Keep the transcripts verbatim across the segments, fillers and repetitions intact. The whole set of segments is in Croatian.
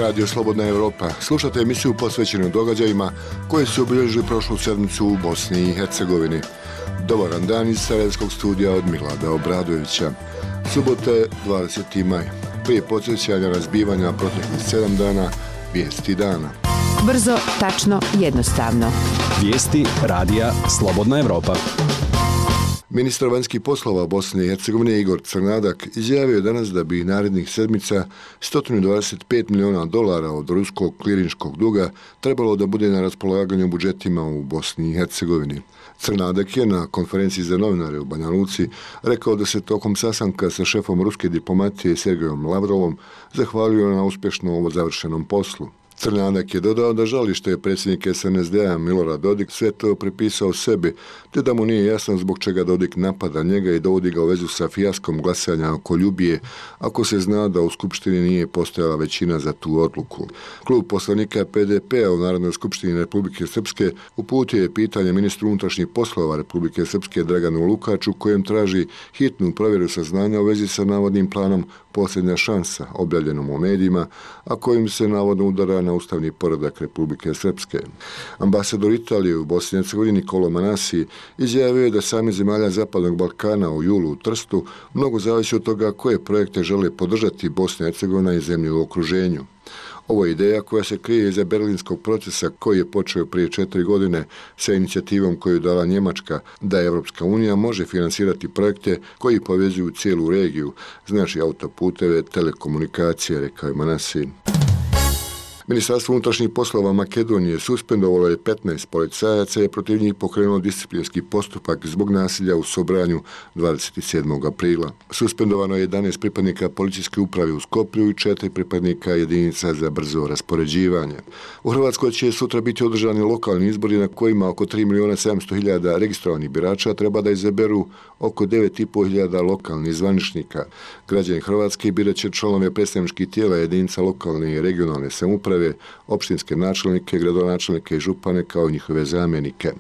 Radio Slobodna Europa. Slušate emisiju posvećenu događajima koje su obilježili prošlu sedmicu u Bosni i Hercegovini. Dobar dan iz Sarajevskog studija od Milada Obradovića. Subote, dvadeseti maj. Prije podsjećanja na zbivanja proteklih sedam dana, vijesti dana. Brzo, tačno, jednostavno. Vijesti Radija Slobodna Europa. Ministar vanjskih poslova Bosne i Hercegovine Igor Crnadak izjavio je danas da bi narednih sedmica sto dvadeset pet miliona dolara od ruskog klirinškog duga trebalo da bude na raspolaganju budžetima u Bosni i Hercegovini. Crnadak je na konferenciji za novinare u Banja Luci rekao da se tokom sastanka sa šefom ruske diplomatije Sergejom Lavrovom zahvalio na uspješno ovo završenom poslu. Crnadak je dodao da žali što je predsjednik es en es de a Milorad Dodik sve to pripisao sebi, te da mu nije jasno zbog čega Dodik napada njega i dovodi ga u vezu sa fijaskom glasanja oko Ljubije, ako se zna da u Skupštini nije postojala većina za tu odluku. Klub poslanika pe de pe-a u Narodnoj skupštini Republike Srpske uputio je pitanje ministru unutrašnjih poslova Republike Srpske Draganu Lukaču, kojem traži hitnu provjeru saznanja u vezi sa navodnim planom Posljednja šansa, objavljenom u medijima, a kojim se navodno udara na ustavni poredak Republike Srpske. Ambasador Italije u Bosni i Hercegovini Nicolò Manassi izjavio je da sami zemalja Zapadnog Balkana u julu u Trstu mnogo zavisi od toga koje projekte žele podržati Bosna i Hercegovina i zemlje u okruženju. Ovo je ideja koja se krije iza berlinskog procesa koji je počeo prije četiri godine sa inicijativom koju je dala Njemačka da Evropska unija može finansirati projekte koji povezuju cijelu regiju, znači autoputeve, telekomunikacije, rekao je Manassi. Ministarstvo unutrašnjih poslova Makedonije suspendovalo je petnaest policajaca i protiv njih pokrenulo disciplinski postupak zbog nasilja u Sobranju dvadeset sedmog aprila. Suspendovano je jedanaest pripadnika policijske uprave u Skoplju i četiri pripadnika jedinica za brzo raspoređivanje. U Hrvatskoj će sutra biti održani lokalni izbori na kojima oko tri milijuna sedamsto hiljada registrovanih birača treba da izaberu oko devet i pol hiljada lokalnih zvaničnika. Građani Hrvatske birat će članove predstavničkih tijela jedinica lokalne i regionalne samouprave, opštinske načelnike, gradonačelnike i župane kao njihove zamjenike.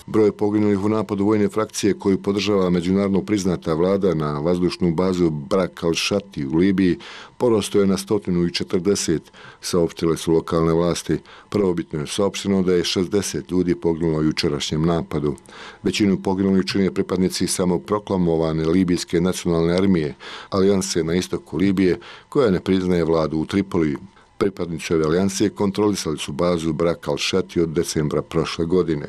Broj poginulih u napadu vojne frakcije koju podržava međunarodno priznata vlada na vazdušnu bazu Brak al-Shati u Libiji porastao je na sto četrdeset, saopštile su lokalne vlasti. Prvobitno je saopšteno da je šezdeset ljudi poginulo u jučerašnjem napadu. Većinu poginulih čine pripadnici samoproklamovane libijske nacionalne armije, alijanse na istoku Libije, koja ne priznaje vladu u Tripoliju. Pripadnici ove alijanse kontrolisali su bazu Brak al-Shati od decembra prošle godine.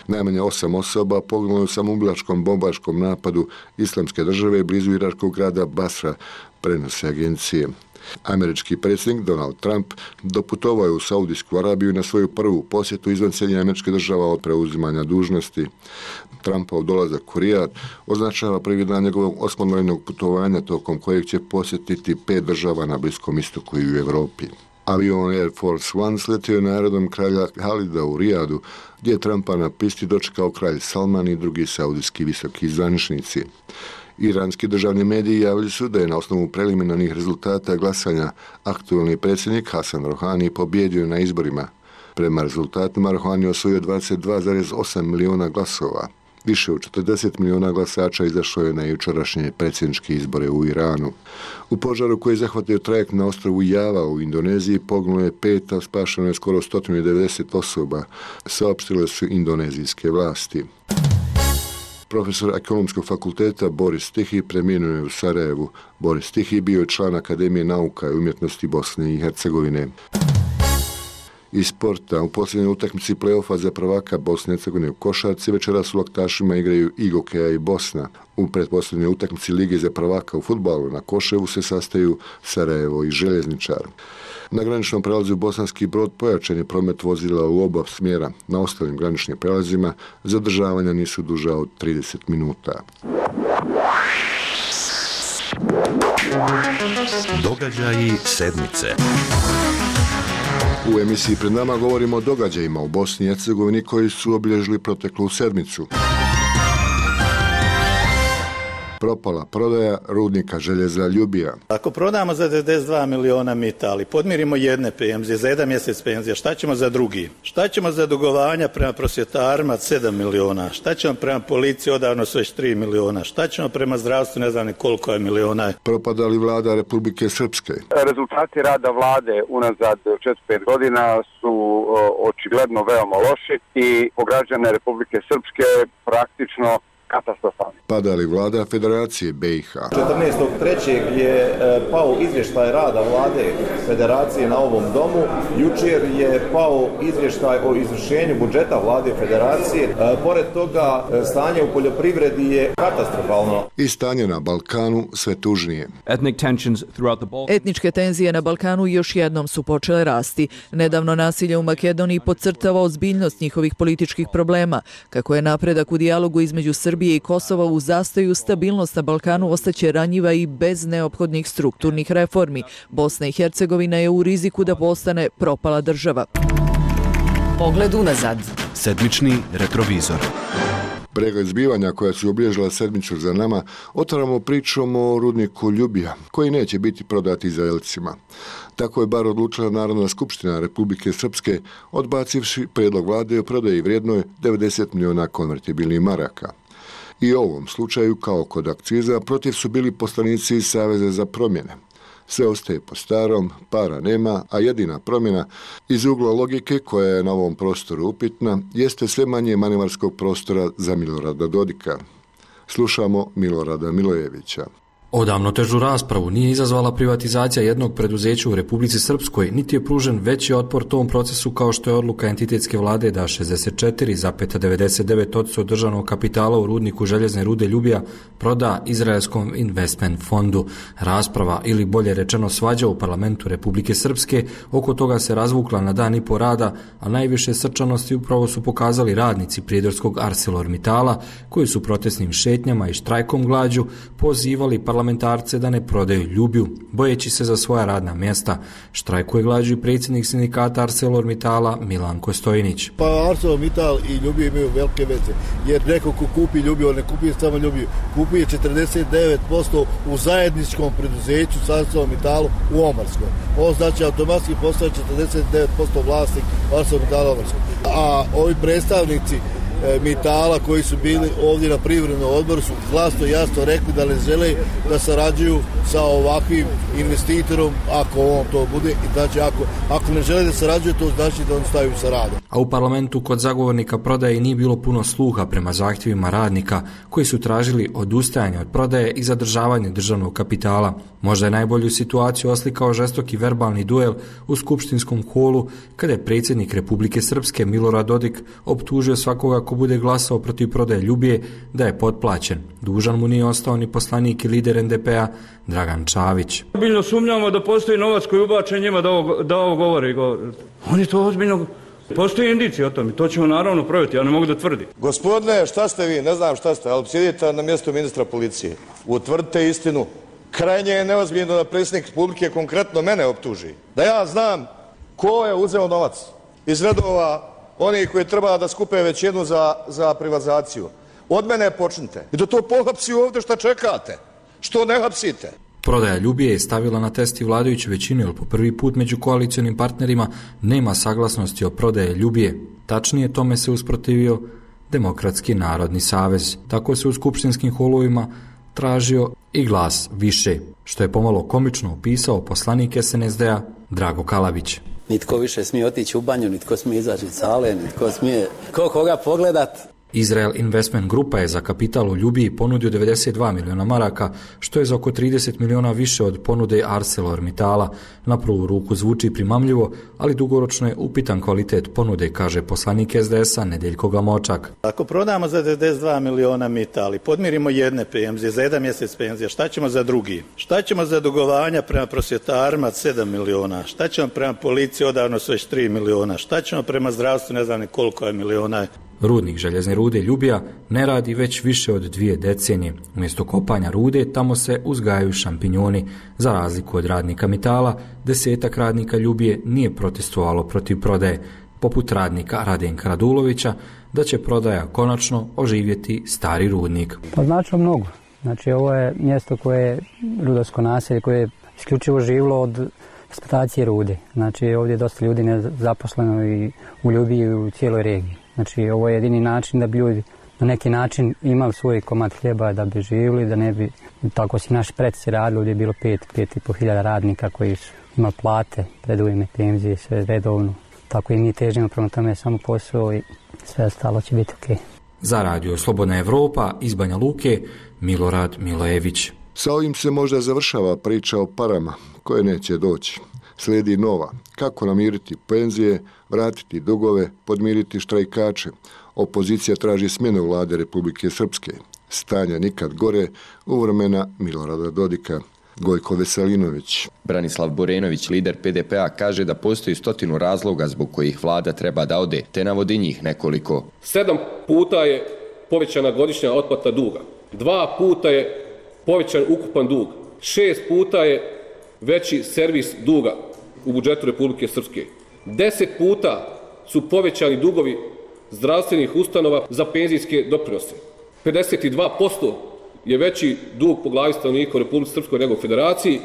Najmanje osam osoba poginulo u samoubilačkom bombaškom napadu Islamske države blizu iračkog grada Basra, prenose agencije. Američki predsjednik Donald Trump doputovao je u Saudijsku Arabiju na svoju prvu posjetu izvan Sjedinjenih Američkih Država od preuzimanja dužnosti. Trumpov dolazak u Rijad označava prvi dan njegovog osmodnevnog putovanja tokom kojeg će posjetiti pet država na Bliskom istoku i u Europi. Avion Air Force One sletio je na aerodrom kralja Halida u Rijadu, gdje je Trumpa na pisti dočekao kralj Salman i drugi saudijski visoki zvaničnici. Iranski državni mediji javili su da je na osnovu preliminarnih rezultata glasanja aktualni predsjednik Hasan Rohani pobjedio na izborima. Prema rezultatima Rohani osvojio dvadeset dva zarez osam miliona glasova. Više od četrdeset miliona glasača izašlo je na jučerašnje predsjedničke izbore u Iranu. U požaru koji je zahvatio trajekt na ostrvu Java u Indoneziji poginulo je pet, a spašeno je skoro sto devedeset osoba, saopštile su indonezijske vlasti. Profesor Ekonomskog fakulteta Boris Tihi preminuo je u Sarajevu. Boris Tihi bio je član Akademije nauka i umjetnosti Bosne i Hercegovine. Iz sporta, u posljednjoj utakmici play-offa za prvaka Bosne i Hercegovine u košarci večeras u Laktašima igraju i Gokeja i Bosna. U pretposljednjoj utakmici Lige za prvaka u fudbalu na Koševu se sastaju Sarajevo i Željezničar. Na graničnom prelazu Bosanski Brod pojačan je promet vozila u oba smjera. Na ostalim graničnim prelazima zadržavanja nisu duža od trideset minuta. Događaji sedmice. U emisiji pred nama govorimo o događajima u Bosni i Hercegovini koji su obilježili proteklu sedmicu. Propala prodaja rudnika željeza Ljubija. Ako prodamo za devedeset dva miliona mita, ali podmirimo jedne penzije, za jedan mjesec penzija, šta ćemo za drugi? Šta ćemo za dugovanja prema prosvjetarima sedam miliona? Šta ćemo prema policiji, odavno su već tri miliona? Šta ćemo prema zdravstvu, ne znam ni koliko je miliona? Propada li vlada Republike Srpske? Rezultati rada vlade unazad četiri pet godina su očigledno veoma loši i po građane Republike Srpske praktično katastrofalni. Pada li vlada Federacije B i H? četrnaestog trećeg je pao izvještaj rada vlade Federacije na ovom domu. Jučer je pao izvještaj o izvršenju budžeta vlade Federacije. Pored toga, stanje u poljoprivredi je katastrofalno. I stanje na Balkanu sve tužnije. Etničke tenzije na Balkanu još jednom su počele rasti. Nedavno nasilje u Makedoniji podcrtava ozbiljnost njihovih političkih problema. Kako je napredak u dijalogu između Srbije i Kosova u zastoju, stabilnost na Balkanu ostaće ranjiva i bez neophodnih strukturnih reformi. Bosna i Hercegovina je u riziku da postane propala država. Pogled unazad. Sedmični retrovizor. Pregled zbivanja koja su obilježila sedmicu za nama, otvaramo pričom o rudniku Ljubija, koji neće biti prodati Izraelcima. Tako je bar odlučila Narodna skupština Republike Srpske, odbacivši prijedlog vlade o prodaji vrijednoj devedeset miliona konvertibilnih maraka. I u ovom slučaju, kao kod akciza, protiv su bili poslanici iz Saveza za promjene. Sve ostaje po starom, para nema, a jedina promjena iz ugla logike koja je na ovom prostoru upitna jeste sve manje manevarskog prostora za Milorada Dodika. Slušamo Milorada Milojevića. Odavno težu raspravu nije izazvala privatizacija jednog preduzeća u Republici Srpskoj, niti je pružen veći otpor tom procesu kao što je odluka entitetske vlade da šezdeset četiri zarez devedeset devet posto državnog kapitala u rudniku željezne rude Ljubija proda Izraelskom investment fondu. Rasprava, ili bolje rečeno svađa u parlamentu Republike Srpske, oko toga se razvukla na dan i po rada, a najviše srčanosti upravo su pokazali radnici prijedorskog ArcelorMittala, koji su protestnim šetnjama i štrajkom glađu pozivali parlamentarce parlamentarce da ne prodaju Ljubiju, bojeći se za svoja radna mjesta. Štrajkuje glađu i predsjednik sindikata ArcelorMittala Milanko Stojnić. Pa ArcelorMittal i Ljubiju imaju velike veze, jer neko ko kupi Ljubiju, on ne kupuje samo Ljubiju, kupuje četrdeset devet posto u zajedničkom preduzeću s ArcelorMittalom u Omarskoj. Ovo znači automatski postaje četrdeset devet posto vlasnik ArcelorMittala Omarskoj. A ovi predstavnici Mitala koji su bili ovdje na privrednom odboru su glasno i jasno rekli da ne žele da sarađuju sa ovakvim investitorom ako on to bude, i znači ako, ako ne žele da sarađuju, to znači da on staju sa radom. A u parlamentu kod zagovornika prodaje nije bilo puno sluha prema zahtjevima radnika koji su tražili odustajanje od prodaje i zadržavanje državnog kapitala. Možda je najbolju situaciju oslikao žestoki verbalni duel u skupštinskom holu kada je predsjednik Republike Srpske Milorad Dodik optužio svakoga ko bude glasao protiv prodaje Ljubije da je potplaćen. Dužan mu nije ostao ni poslanik i lider en de pe-a Dragan Čavić. Ozbiljno sumnjamo da postoji novac koji ubačen njima da ovo, da ovo govore. Oni to ozbiljno... Postoji indicije o tome, to ćemo naravno provjeriti, ja ne mogu da tvrdim. Gospodine, šta ste vi, ne znam šta ste, ali sjedite na mjestu ministra policije. Utvrdite istinu. Krajnje je neozbiljno da predsjednik Republike konkretno mene optuži. Da ja znam ko je uzeo novac iz redova onih koji treba da skupe većinu za, za privatizaciju. Od mene počnite. I da to pohapsi ovdje šta čekate. Što ne hapsite? Prodaja Ljubije je stavila na test i vladajuću većinu, jer po prvi put među koalicionim partnerima nema saglasnosti o prodaje Ljubije. Tačnije, tome se usprotivio Demokratski narodni savez. Tako se u skupštinskim holovima tražio i glas više, što je pomalo komično opisao poslanik es en es de-a Drago Kalabić. Nitko više smije otići u banju, nitko smije izaći iz sale, nitko smije ko koga pogledat. Izrael Investment Grupa je za kapital u Ljubiji ponudio devedeset dva miliona maraka, što je za oko trideset miliona više od ponude ArcelorMittala. Na prvu ruku zvuči primamljivo, ali dugoročno je upitan kvalitet ponude, kaže poslanik es de es-a Nedeljko Gamočak. Ako prodamo za devedeset dva miliona mita, ali podmirimo jedne penzije, za jedan mjesec penzija, šta ćemo za drugi? Šta ćemo za dugovanja prema prosvjetarima sedam miliona? Šta ćemo prema policiji, odavno su već tri miliona? Šta ćemo prema zdravstvu, ne znam ni koliko je miliona? Rudnik željezne rude Ljubija ne radi već više od dvije decenije. Umjesto kopanja rude tamo se uzgajaju šampinjoni. Za razliku od radnika Mittala, desetak radnika Ljubije nije protestovalo protiv prodaje, poput radnika Radenka Radulovića, da će prodaja konačno oživjeti stari rudnik. Pa znači mnogo. Znači ovo je mjesto koje je rudarsko naselje, koje je isključivo živilo od eksploatacije rude. Znači ovdje je dosta ljudi nezaposleno i u Ljubiji u cijeloj regiji. Znači ovo je jedini način da bi ljudi na neki način imali svoj komad hljeba, da bi živjeli, da ne bi, tako si naši preci radili, ovdje je bilo pet, pet i po hiljada radnika koji su imali plate, predujme, penzije, sve redovno. Tako i mi težimo prema tome samo posao i sve ostalo će biti okej. Za radio Slobodna Evropa iz Banja Luke, Milorad Milojević. Sa ovim se možda završava priča o parama koje neće doći. Slijedi nova. Kako namiriti penzije, vratiti dugove, podmiriti štrajkače. Opozicija traži smjenu vlade Republike Srpske. Stanja nikad gore u vremena Milorada Dodika. Gojko Veselinović. Branislav Borenović, lider P D P-a, kaže da postoji stotinu razloga zbog kojih vlada treba da ode, te navodi njih nekoliko. Sedam puta je povećana godišnja otplata duga. Dva puta je povećan ukupan dug. Šest puta je veći servis duga u budžetu Republike Srpske. Deset puta su povećani dugovi zdravstvenih ustanova za penzijske doprinose. pedeset dva posto je veći dug po glavi stanovnika u Republici Srpskoj nego u Federaciji.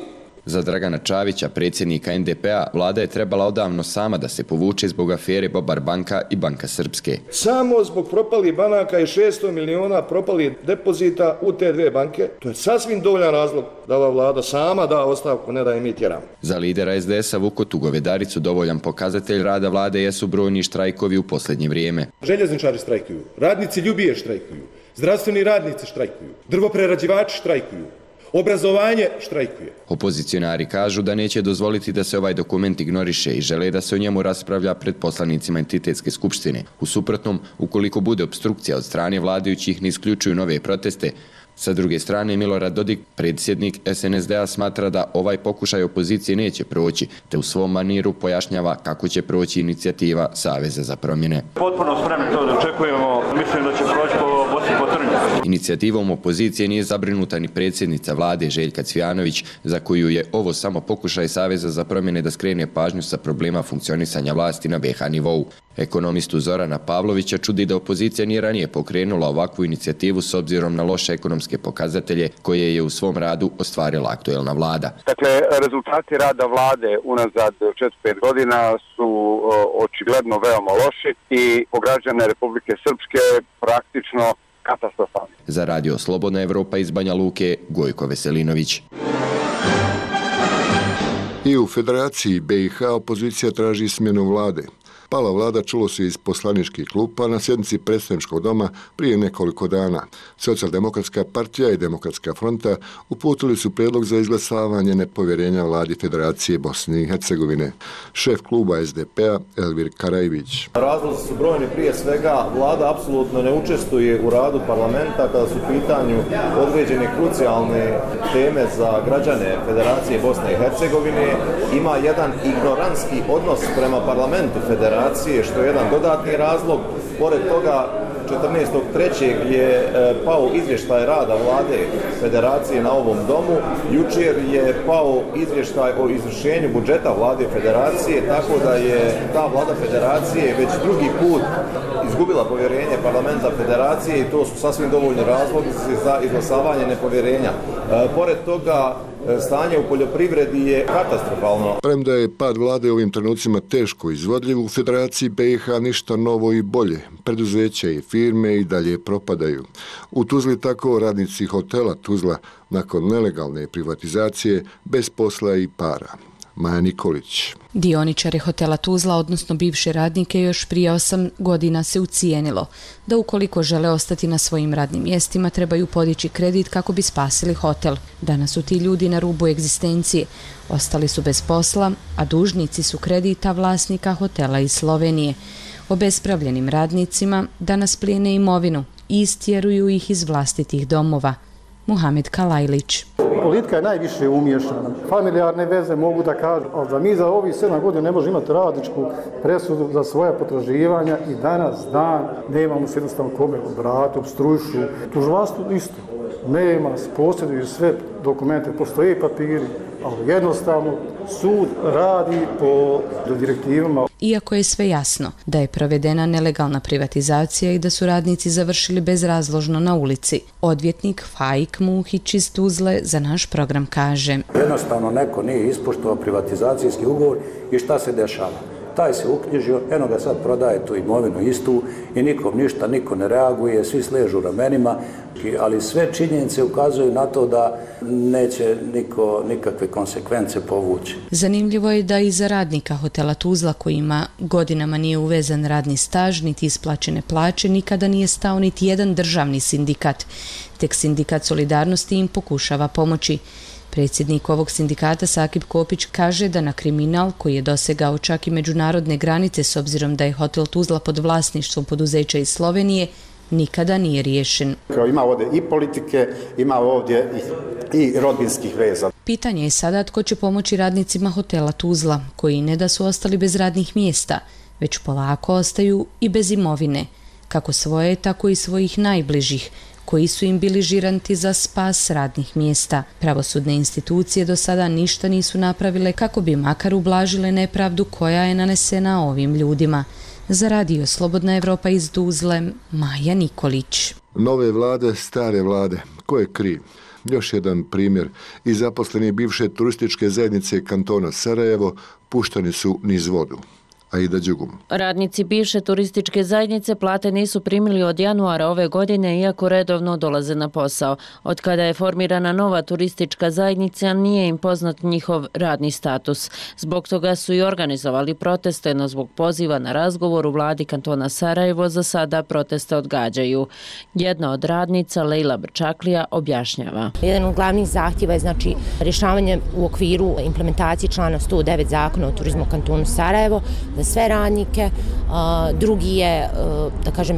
Za Dragana Čavića, predsjednika N D P-a, vlada je trebala odavno sama da se povuče zbog afere Bobar banka i Banka Srpske. Samo zbog propalih banaka i šesto miliona propalih depozita u te dve banke, to je sasvim dovoljan razlog da ova vlada sama da ostavku, ne da je mi tjeramo. Za lidera S D S-a Vukotu Govedaricu dovoljan pokazatelj rada vlade jesu brojni štrajkovi u posljednje vrijeme. Željezničari štrajkuju, radnici Ljubije štrajkuju, zdravstveni radnici štrajkuju, drvoprerađivači štrajkuju, obrazovanje štrajkuje. Opozicionari kažu da neće dozvoliti da se ovaj dokument ignoriše i žele da se o njemu raspravlja pred poslanicima entitetske skupštine. U suprotnom, ukoliko bude obstrukcija od strane vladajućih, ne isključuju nove proteste. Sa druge strane, Milorad Dodik, predsjednik S N S D-a, smatra da ovaj pokušaj opozicije neće proći, te u svom maniru pojašnjava kako će proći inicijativa Saveza za promjene. Potpuno spremni to da očekujemo, mislim da će proći po Bosni po trnju. Inicijativom opozicije nije zabrinuta ni predsjednica vlade Željka Cvijanović, za koju je ovo samo pokušaj Saveza za promjene da skrene pažnju sa problema funkcionisanja vlasti na B iH nivou. Ekonomistu Zorana Pavlovića čudi da opozicija nije ranije pokrenula ovakvu inicijativu s obzirom na loše ekonomske pokazatelje koje je u svom radu ostvarila aktuelna vlada. Dakle, rezultati rada vlade unazad četiri pet godina su očigledno veoma loši i po građane Republike Srpske praktično katastrofalni. Za radio Slobodna Evropa iz Banja Luke, Gojko Veselinović. I u Federaciji B iH opozicija traži smjenu vlade. Pala vlada čulo se iz poslaničkih klupa na sjednici predstavničkog doma prije nekoliko dana. Socijaldemokratska partija i Demokratska fronta uputili su prijedlog za izglasavanje nepovjerenja vladi Federacije Bosne i Hercegovine. Šef kluba S D P-a Elvir Karajvić. Razlozi su brojni, prije svega vlada apsolutno ne učestvuje u radu parlamenta kada su u pitanju određene krucijalne teme za građane Federacije Bosne i Hercegovine. Ima jedan ignorantski odnos prema parlamentu Federacije, što je jedan dodatni razlog. Pored toga, četrnaestog trećeg je pao izvještaj rada vlade Federacije na ovom domu. Jučer je pao izvještaj o izvršenju budžeta vlade Federacije, tako da je ta vlada Federacije već drugi put izgubila povjerenje parlamenta Federacije i to su sasvim dovoljni razlozi za izglasavanje nepovjerenja. Pored toga, stanje u poljoprivredi je katastrofalno. Premda je pad vlade u ovim trenucima teško izvodljiv, u Federaciji B iH ništa novo i bolje. Preduzeća i firme i dalje propadaju. U Tuzli tako radnici hotela Tuzla nakon nelegalne privatizacije bez posla i para. Maja Nikolić. Dioničare hotela Tuzla, odnosno bivše radnike, još prije osam godina se ucijenilo da ukoliko žele ostati na svojim radnim mjestima trebaju podići kredit kako bi spasili hotel. Danas su ti ljudi na rubu egzistencije. Ostali su bez posla, a dužnici su kredita vlasnika hotela iz Slovenije. Obespravljenim radnicima danas plijene imovinu i istjeruju ih iz vlastitih domova. Muhamed Kalajlić. Politika je najviše umiješana. Familijarne veze mogu da kažu, ali da mi za ovih sedam godina ne možemo imati radničku presudu za svoja potraživanja i danas dan nemamo se jednostavno kome obrati, obstrujušu. Tužilaštvo isto. Nema, posjeduju sve dokumente, postoje papiri, ali jednostavno sud radi po direktivama. Iako je sve jasno da je provedena nelegalna privatizacija i da su radnici završili bezrazložno na ulici, odvjetnik Faik Muhić iz Tuzle za naš program kaže: Jednostavno neko nije ispoštovao privatizacijski ugovor i šta se dešava? Taj se uknjižio, eno ga sad prodaje tu imovinu istu i nikom ništa, niko ne reaguje, svi sležu ramenima, ali sve činjenice ukazuju na to da neće niko nikakve konsekvence povući. Zanimljivo je da i za radnika hotela Tuzla, kojima godinama nije uvezan radni staž niti isplaćene plaće, nikada nije stao niti jedan državni sindikat. Tek sindikat Solidarnosti im pokušava pomoći. Predsjednik ovog sindikata Sakib Kopić kaže da na kriminal, koji je dosegao čak i međunarodne granice s obzirom da je hotel Tuzla pod vlasništvom poduzeća iz Slovenije, nikada nije riješen. Ima ovdje i politike, ima ovdje i, i rodbinskih veza. Pitanje je sada tko će pomoći radnicima hotela Tuzla, koji ne da su ostali bez radnih mjesta, već polako ostaju i bez imovine, kako svoje, tako i svojih najbližih, koji su im bili žiranti za spas radnih mjesta. Pravosudne institucije do sada ništa nisu napravile kako bi makar ublažile nepravdu koja je nanesena ovim ljudima. Za radio Slobodna Evropa iz Tuzle, Maja Nikolić. Nove vlade, stare vlade. Ko je kriv? Još jedan primjer. I zaposleni bivše turističke zajednice kantona Sarajevo puštani su niz vodu. Aida Đugum. Radnici bivše turističke zajednice plate nisu primili od januara ove godine, iako redovno dolaze na posao. Od kada je formirana nova turistička zajednica, nije im poznat njihov radni status. Zbog toga su i organizovali proteste, no zbog poziva na razgovor u vladi kantona Sarajevo za sada proteste odgađaju. Jedna od radnica, Lejla Brčaklija, objašnjava. Jedan od glavnih zahtjeva je znači rješavanje u okviru implementacije člana sto devet zakona o turizmu kantonu Sarajevo za sve radnike. Drugi je, da kažem,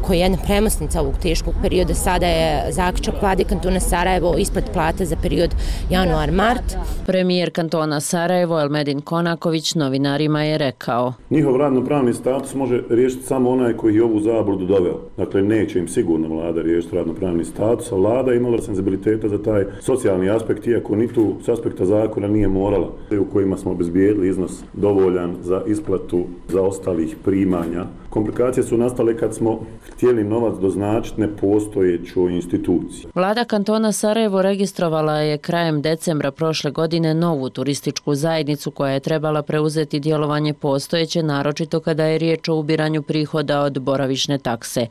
koji je jedna premosnica ovog teškog perioda, sada je zaključak vlade kantona Sarajevo isplat plata za period januar-mart. Premijer kantona Sarajevo Elmedin Konaković novinarima je rekao: Njihov radno-pravni status može riješiti samo onaj koji je ovu zabludu doveo. Dakle, neće im sigurno vlada riješiti radno-pravni status, a vlada je imala senzibiliteta za taj socijalni aspekt, iako ni tu s aspekta zakona nije morala, u kojima smo obezbijedili iznos dovoljan za isplatu zaostalih primanja. Komplikacije su nastale kad smo htjeli novac doznačiti nepostojećoj instituciji. Vlada kantona Sarajevo registrovala je krajem decembra prošle godine novu turističku zajednicu koja je trebala preuzeti djelovanje postojeće, naročito kada je riječ o ubiranju prihoda od boravišne takse.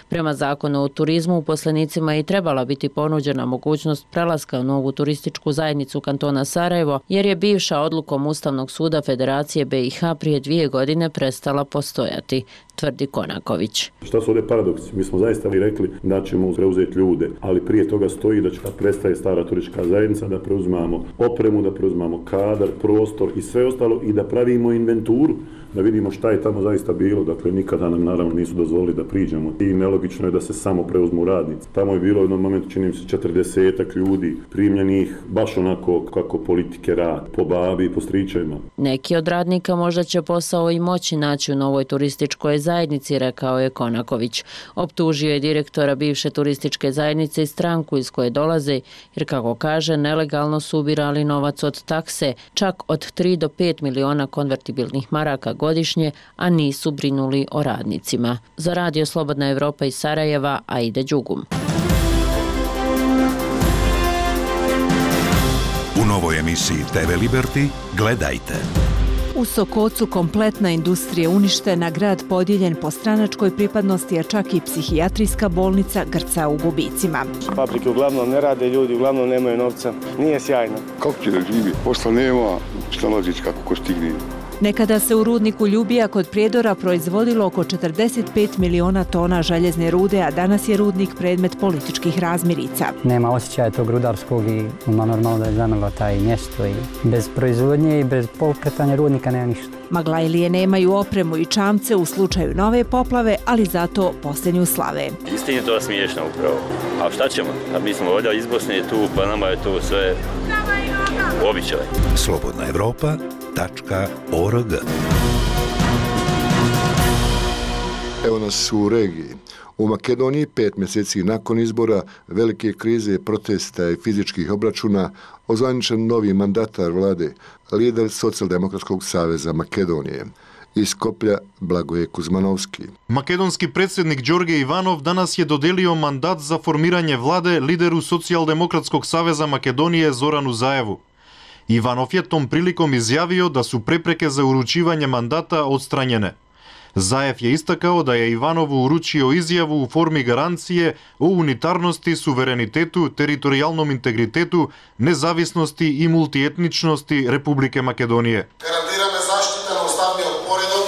Prema zakonu o turizmu uposlenicima je i trebala biti ponuđena mogućnost prelaska u novu turističku zajednicu kantona Sarajevo, jer je bivša odlukom Ustavnog suda Federacije B i H prije dvije godine prestala postojati, tvrdi Konaković. Šta su ovdje paradoksi? Mi smo zaista i rekli da ćemo preuzeti ljude, ali prije toga stoji da će kad prestaje stara turistička zajednica da preuzmamo opremu, da preuzmamo kadar, prostor i sve ostalo i da pravimo inventuru, da vidimo šta je tamo zaista bilo. Dakle, nikada nam naravno nisu dozvolili da priđemo i nelogično je da se samo preuzmu radnici. Tamo je bilo u jednom momentu, čini mi se, četrdesetak ljudi primljenih baš onako kako politike rad, po babi i po stričevima. Neki od radnika možda će posao i moći naći u novoj turističkoj zajednici, rekao je Konaković. Optužio je direktora bivše turističke zajednice i stranku iz koje dolaze, jer kako kaže, nelegalno su ubirali novac od takse, čak od tri do pet miliona konvertibilnih maraka godišnje, a nisu brinuli o radnicima. Za radio Slobodna Evropa iz Sarajeva, Aida Đugum. U novoj emisiji te ve Liberty gledajte. U Sokocu kompletna industrija uništena, grad podijeljen po stranačkoj pripadnosti, a čak i psihijatrijska bolnica grca u gubicima. Fabrike uglavnom ne rade, ljudi uglavnom nemaju novca. Nije sjajno. Kako će da živi? Posla nema, snalazić kako ko stigne. Nekada se u rudniku Ljubija kod Prijedora proizvodilo oko četrdeset pet miliona tona željezne rude, a danas je rudnik predmet političkih razmirica. Nema osjećaja tog rudarskog i ima normalno da je zamrlo taj mjesto i bez proizvodnje i bez pokretanja rudnika nema ništa. Maglajlije nemaju opremu i čamce u slučaju nove poplave, ali zato posljednju slave. Istini je to smiješno upravo. A šta ćemo? A mi smo ovdje iz Bosne tu, pa nama je to sve običaj. Slobodna Evropa tačka org. Evo nas u regiji. U Makedoniji pet mjeseci nakon izbora, velike krize, protesta i fizičkih obračuna, ozvaničen novi mandatar vlade, lider Socijaldemokratskog saveza Makedonije. Iz Skoplja Blagoje Kuzmanovski. Makedonski predsjednik Đorđe Ivanov danas je dodelio mandat za formiranje vlade lideru Socijaldemokratskog saveza Makedonije Zoranu Zaevu. Ivanov je tom prilikom izjavio da su prepreke za uručivanje mandata odstranjene. Zaev je istakao da je Ivanovu uručio izjavu u formi garancije o unitarnosti, suverenitetu, teritorijalnom integritetu, nezavisnosti i multietničnosti Republike Makedonije. Гарантираме заштита на уставниот поредок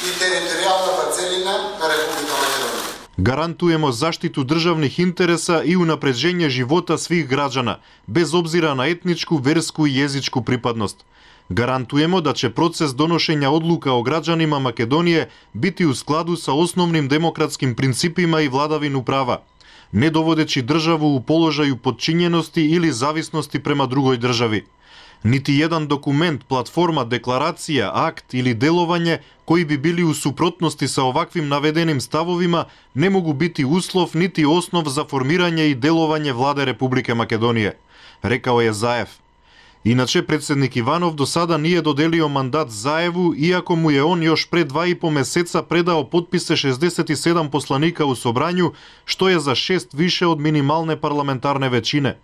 и територијалната целина на Република Македонија. Гарантуемо заштиту државних интереса и унапреđenje живота свих граđana, без обзира на етничку, верску и језичку припадност. Гарантуемо да ќе процес доношења одлука о граđanima Македонije biti u skladu sa osnovnim demokratskim principima i vladavinu prava, ne dovodeći državu u položaju podčinjenosti ili zavisnosti prema drugoj državi. Niti jedan dokument, platforma, deklaracija, akt ili delovanje koji bi bili u suprotnosti sa ovakvim navedenim stavovima ne mogu biti uslov niti osnov za formiranje i delovanje vlade Republike Makedonije, rekao je Zaev. Inače, predsjednik Ivanov do sada nije dodelio mandat Zaevu, iako mu je on još pre dva i po meseca predao potpise šezdeset sedam poslanika u Sobranju, što je za šest više od minimalne parlamentarne većine.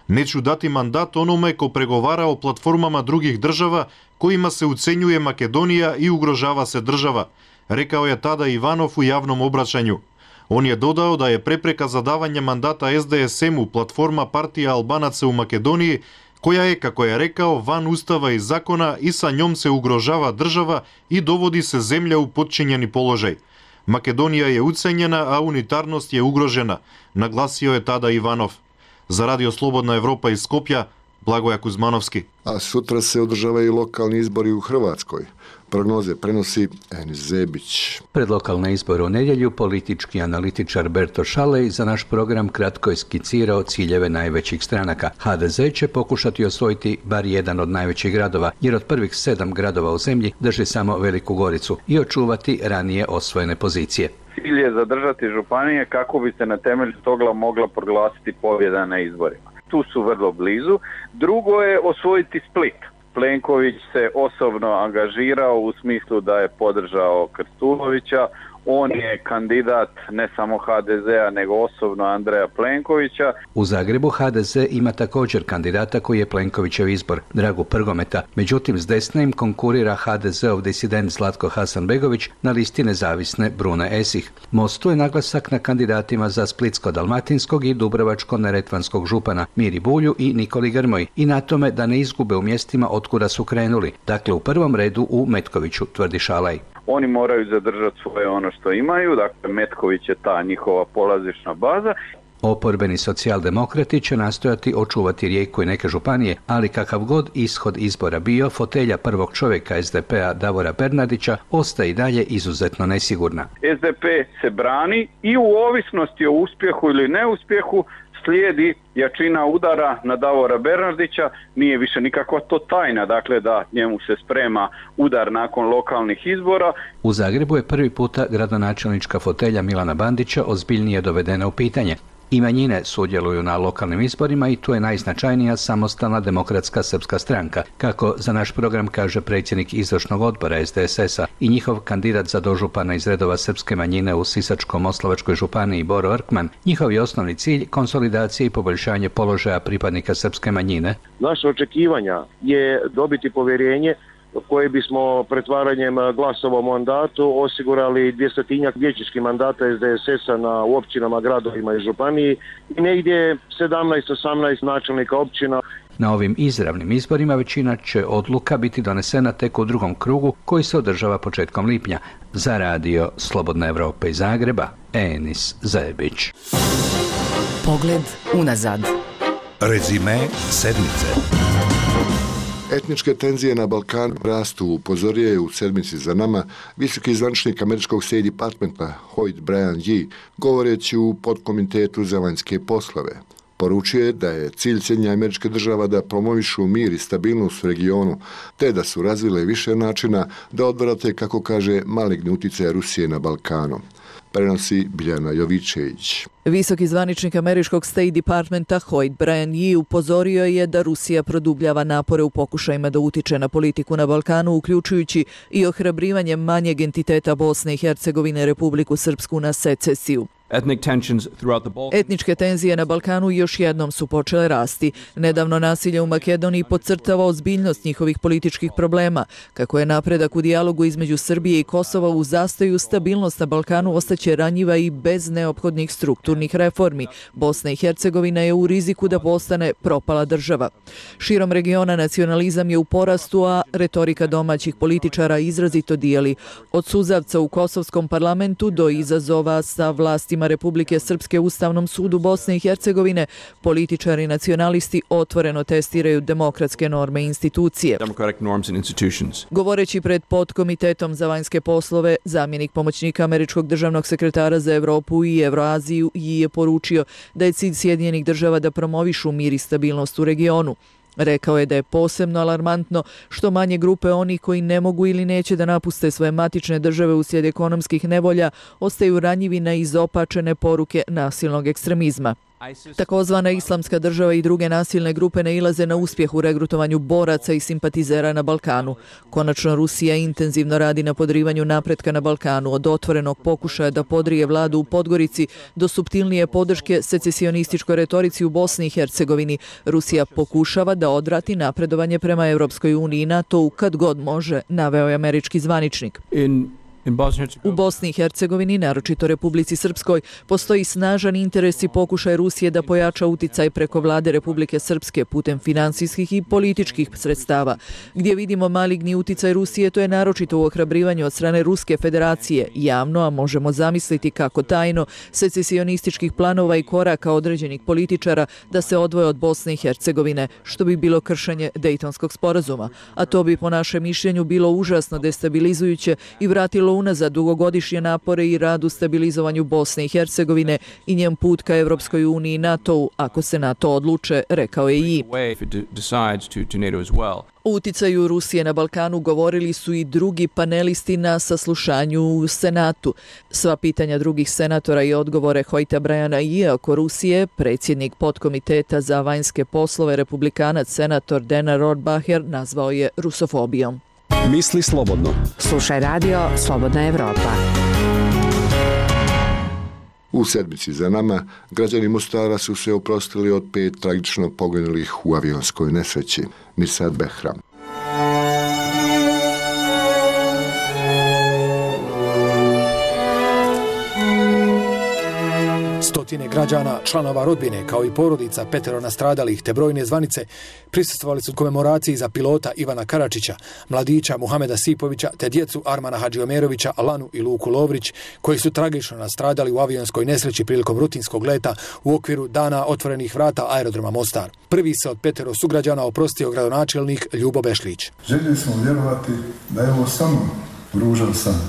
Neću dati mandat onome ko pregovara o platformama drugih država kojima se ucenjuje Makedonija i ugrožava se država, rekao je tada Ivanov u javnom obraćanju. On je dodao da je prepreka za davanje mandata es de es emu platforma partija Albanaca u Makedoniji, koja je, kako je rekao, van ustava i zakona i sa njom se ugrožava država i dovodi se zemlja u podčinjeni položaj. Makedonija je ucenjena, a unitarnost je ugrožena, naglasio je tada Ivanov. Za Radio Slobodna Evropa iz Skopja, Blagoje Kuzmanovski. A sutra se održavaju lokalni izbori u Hrvatskoj. Prognoze prenosi Enis Zebić. Pred lokalne izbore u nedjelju politički analitičar Berto Šalej za naš program kratko je skicirao ciljeve najvećih stranaka. ha de ze će pokušati osvojiti bar jedan od najvećih gradova, jer od prvih sedam gradova u zemlji drži samo Veliku Goricu i očuvati ranije osvojene pozicije. Cilj je zadržati županije kako bi se na temelju toga mogla proglasiti pobjeda na izborima. Tu su vrlo blizu. Drugo je osvojiti Split. Plenković se osobno angažirao u smislu da je podržao Krstulovića. On je kandidat ne samo ha de zea, nego osobno Andreja Plenkovića. U Zagrebu ha de ze ima također kandidata koji je Plenkovićev izbor, Dragu Prgometa. Međutim, s desne im konkurira ha de zeov disident Zlatko Hasanbegović na listi nezavisne Brune Esih. Mostu je naglasak na kandidatima za Splitsko-dalmatinskog i Dubrovačko-neretvanskog župana Miri Bulju i Nikoli Grmoji i na tome da ne izgube u mjestima otkuda su krenuli, dakle u prvom redu u Metkoviću, tvrdi Šalaj. Oni moraju zadržati svoje ono što imaju, dakle Metković je ta njihova polazišna baza. Oporbeni socijaldemokrati će nastojati očuvati Rijeku i neke županije, ali kakav god ishod izbora bio, fotelja prvog čovjeka es de pe-a Davora Bernardića ostaje i dalje izuzetno nesigurna. es de pe se brani i u ovisnosti o uspjehu ili neuspjehu slijedi jačina udara na Davora Bernardića, nije više nikakva to tajna, dakle da njemu se sprema udar nakon lokalnih izbora. U Zagrebu je prvi puta gradonačelnička fotelja Milana Bandića ozbiljnije dovedena u pitanje. I manjine sudjeluju na lokalnim izborima i tu je najznačajnija Samostalna demokratska srpska stranka, kako za naš program kaže predsjednik izvršnog odbora es de es es-a i njihov kandidat za dožupana iz redova srpske manjine u Sisačko-moslavačkoj županiji Boro Orkman. Njihov je osnovni cilj konsolidacija i poboljšanje položaja pripadnika srpske manjine. Naše očekivanja je dobiti povjerenje koje bismo pretvaranjem glasova u mandatu osigurali dvjestotinjak vijećničkih mandata es de es es-a na u općinama, gradovima i županiji i negdje sedamnaest osamnaest načelnika općina. Na ovim izravnim izborima većina će odluka biti donesena tek u drugom krugu koji se održava početkom lipnja. Za Radio Slobodna Evropa iz Zagreba, Enis Zebić. Pogled unazad. Rezime sedmice. Etničke tenzije na Balkanu rastu, upozorio je u sedmici za nama visoki zvaničnik američkog State Departmenta Hoyt Brian Yee, govoreći u podkomitetu za vanjske poslove. Poručuje da je cilj Sjedinjenih Američkih Država da promovišu mir i stabilnost u regionu, te da su razvile više načina da odvrate, kako kaže, maligni utjecaj Rusije na Balkanu. Prenosi Biljana Jovičević. Visoki zvaničnik američkog State Departmenta Hoyt Bryan Yee upozorio je da Rusija produbljava napore u pokušajima da utiče na politiku na Balkanu, uključujući i ohrabrivanje manjeg entiteta Bosne i Hercegovine, Republiku Srpsku, na secesiju. Etničke tenzije na Balkanu još jednom su počele rasti. Nedavno nasilje u Makedoniji podcrtava ozbiljnost njihovih političkih problema. Kako je napredak u dijalogu između Srbije i Kosova u zastoju, stabilnost na Balkanu ostaće ranjiva i bez neophodnih strukturnih reformi. Bosna i Hercegovina je u riziku da postane propala država. Širom regiona nacionalizam je u porastu, a retorika domaćih političara izrazito dijeli. Od suzavca u kosovskom parlamentu do izazova sa vlastima Republike Srpske u Ustavnom sudu Bosne i Hercegovine, političari i nacionalisti otvoreno testiraju demokratske norme i institucije. Govoreći pred podkomitetom za vanjske poslove, zamjenik pomoćnika američkog državnog sekretara za Evropu i Evroaziju je poručio da je cilj Sjedinjenih Država da promovišu mir i stabilnost u regionu. Rekao je da je posebno alarmantno što manje grupe onih koji ne mogu ili neće da napuste svoje matične države uslijed ekonomskih nevolja ostaju ranjivi na izopačene poruke nasilnog ekstremizma. Takozvana Islamska država i druge nasilne grupe nailaze na uspjeh u regrutovanju boraca i simpatizera na Balkanu. Konačno, Rusija intenzivno radi na podrivanju napretka na Balkanu, od otvorenog pokušaja da podrije vladu u Podgorici do suptilnije podrške secesionističkoj retorici u Bosni i Hercegovini. Rusija pokušava da odvrati napredovanje prema Europskoj uniji i NATO-u kad god može, naveo je američki zvaničnik. U Bosni i Hercegovini, naročito Republici Srpskoj, postoji snažan interes i pokušaj Rusije da pojača uticaj preko vlade Republike Srpske putem finansijskih i političkih sredstava. Gdje vidimo maligni uticaj Rusije, to je naročito u ohrabrivanju od strane Ruske federacije, javno, a možemo zamisliti kako tajno, secesionističkih planova i koraka određenih političara da se odvoje od Bosne i Hercegovine, što bi bilo kršenje Dejtonskog sporazuma. A to bi po našem mišljenju bilo užasno destabilizujuće i vratilo unazad dugogodišnje napore i rad u stabilizovanju Bosne i Hercegovine i njen put ka Evropskoj uniji i NATO-u, ako se NATO odluče, rekao je i. O uticaju Rusije na Balkanu govorili su i drugi panelisti na saslušanju u Senatu. Sva pitanja drugih senatora i odgovore Hoyta Bryana i oko Rusije, predsjednik podkomiteta za vanjske poslove, republikanac senator Dana Rohrabacher, nazvao je rusofobijom. Misli slobodno. Slušaj radio Slobodna Evropa. U sedmici za nama, građani Mostara su se oprostili od pet tragično poginulih u avionskoj nesreći. Mirsad Behram. Stotine građana, članova rodbine, kao i porodica petero nastradalih te brojne zvanice prisustvovali su komemoraciji za pilota Ivana Karačića, mladića Muhameda Sipovića te djecu Armana Hadžiomerovića, Alanu i Luku Lovrić, koji su tragično nastradali u avionskoj nesreći prilikom rutinskog leta u okviru Dana otvorenih vrata aerodroma Mostar. Prvi se od petero sugrađana oprostio gradonačelnik Ljubo Bešlić. Željeli smo vjerovati da je ovo samo ružan san.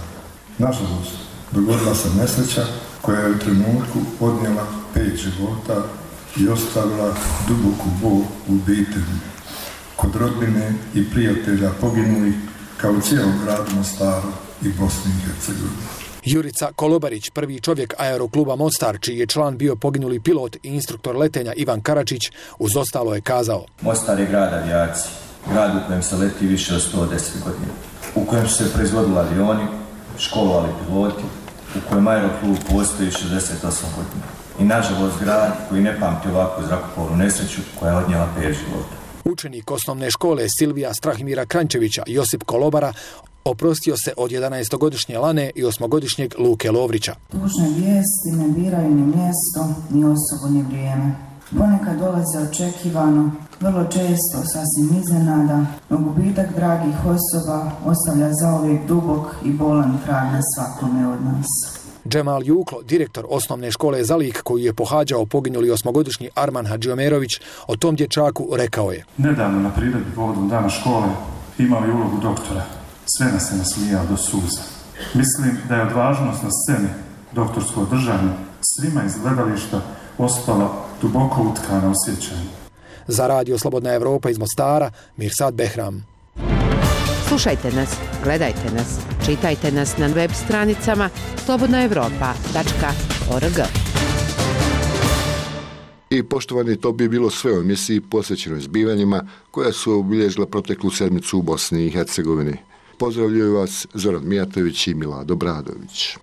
Nažalost, dogodila se nesreća koja je u trenutku odnijela pet života i ostavila duboku bol u obitelji, kod rodbine i prijatelja poginulih, kao u cijelom gradu Mostaru i Bosni i Hercegovini. Jurica Kolobarić, prvi čovjek aerokluba Mostar, čiji je član bio poginuli pilot i instruktor letenja Ivan Karačić, uz ostalo je kazao: Mostar je grad avijacije, grad u kojem se leti više od sto deset godina, u kojem su se proizvodili avioni, školovali piloti, u kojem aeroklub postoji šezdeset osam godina. I nažalost grad koji ne pamti ovakvu zrakoplovnu nesreću koja je odnijela pet života. Učenik osnovne škole Silvija Strahimira Krančevića, Josip Kolobara, oprostio se od jedanaestogodišnje Lane i osmogodišnjeg Luke Lovrića. Tužne vijesti ne biraju ni mjesto, ni osobu, ni vrijeme. Ponekad dolaze očekivano, vrlo često sasvim iznenada, no gubitak dragih osoba ostavlja zauvijek dubok i bolan trag na svakome od nas. Džemal Juklo, direktor osnovne škole Zalik, koji je pohađao poginuli osmogodišnji Arman Hadžiomerović, o tom dječaku rekao je: Nedavno na priredbi povodom dana škole imao je ulogu doktora. Sve nas se nasmijao do suza. Mislim da je odvažnost na sceni, doktorsko držanje, svima iz gledališta ostala duboko utkana u sjećanju. Za Radio Slobodna Evropa iz Mostara, Mirsad Behram. Slušajte nas, gledajte nas, čitajte nas na web stranicama slobodna evropa tačka org. I poštovani, to bi bilo sve u emisiji posvećenoj zbivanjima koja su obilježila proteklu sedmicu u Bosni i Hercegovini. Pozdravljaju vas Zoran Mijatović i Milado Bradović.